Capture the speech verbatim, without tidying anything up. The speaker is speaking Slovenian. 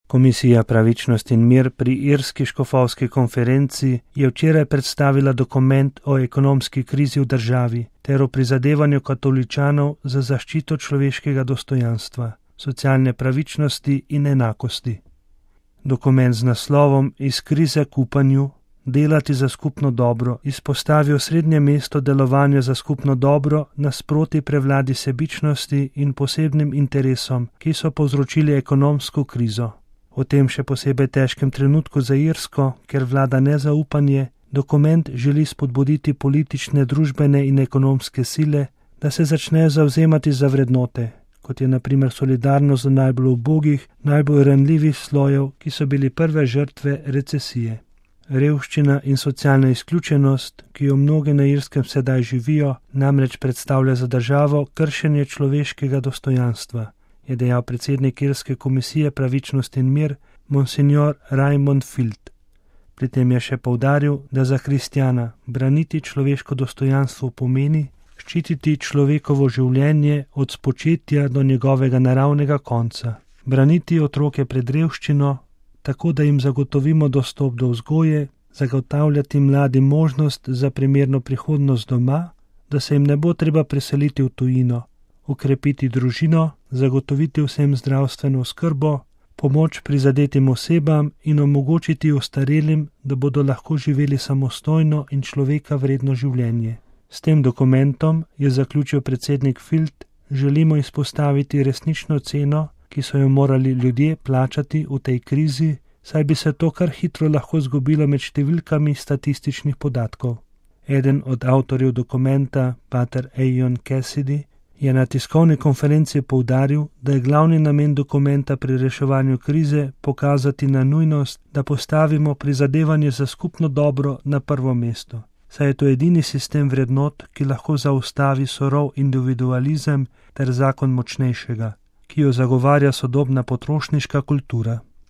Komisija Pravičnost in mir pri Irski škofovski konferenci je včeraj predstavila dokument o ekonomski krizi v državi ter o prizadevanju katoličanov za zaščito človeškega dostojanstva, socialne pravičnosti in enakosti. Dokument z naslovom Iz krize k upanju, delati za skupno dobro izpostavi osrednje mesto delovanja za skupno dobro nasproti prevladi sebičnosti in posebnim interesom, ki so povzročili ekonomsko krizo. V tem še posebej težkem trenutku za Irsko, ker vlada nezaupanje, dokument želi spodbuditi politične, družbene in ekonomske sile, da se začnejo zavzemati za vrednote, kot je na primer solidarnost do najbolj ubogih, najbolj ranljivih slojev, ki so bili prve žrtve recesije. Revščina in socialna izključenost, ki jo mnogi na Irskem sedaj živijo, namreč predstavlja za državo kršenje človeškega dostojanstva, je dejal predsednik Irske komisije Pravičnost in mir, monsignor Raymond Field. Pri tem je še poudaril, da za kristjana braniti človeško dostojanstvo pomeni ščititi človekovo življenje od spočetja do njegovega naravnega konca, braniti otroke pred revščino, tako da jim zagotovimo dostop do vzgoje, zagotavljati mladim možnost za primerno prihodnost doma, da se jim ne bo treba preseliti v tujino, ukrepiti družino, zagotoviti vsem zdravstveno oskrbo, pomoč prizadetim osebam in omogočiti ostarelim, da bodo lahko živeli samostojno in človeka vredno življenje. S tem dokumentom, je zaključil predsednik Field, želimo izpostaviti resnično ceno, ki so jo morali ljudje plačati v tej krizi, saj bi se to kar hitro lahko zgubilo med številkami statističnih podatkov. Eden od avtorjev dokumenta, pater Eion Cassidy, je na tiskovni konferenci poudaril, da je glavni namen dokumenta pri reševanju krize pokazati na nujnost, da postavimo prizadevanje za skupno dobro na prvo mesto, saj je to edini sistem vrednot, ki lahko zaustavi surov individualizem ter zakon močnejšega, ki jo zagovarja sodobna potrošniška kultura.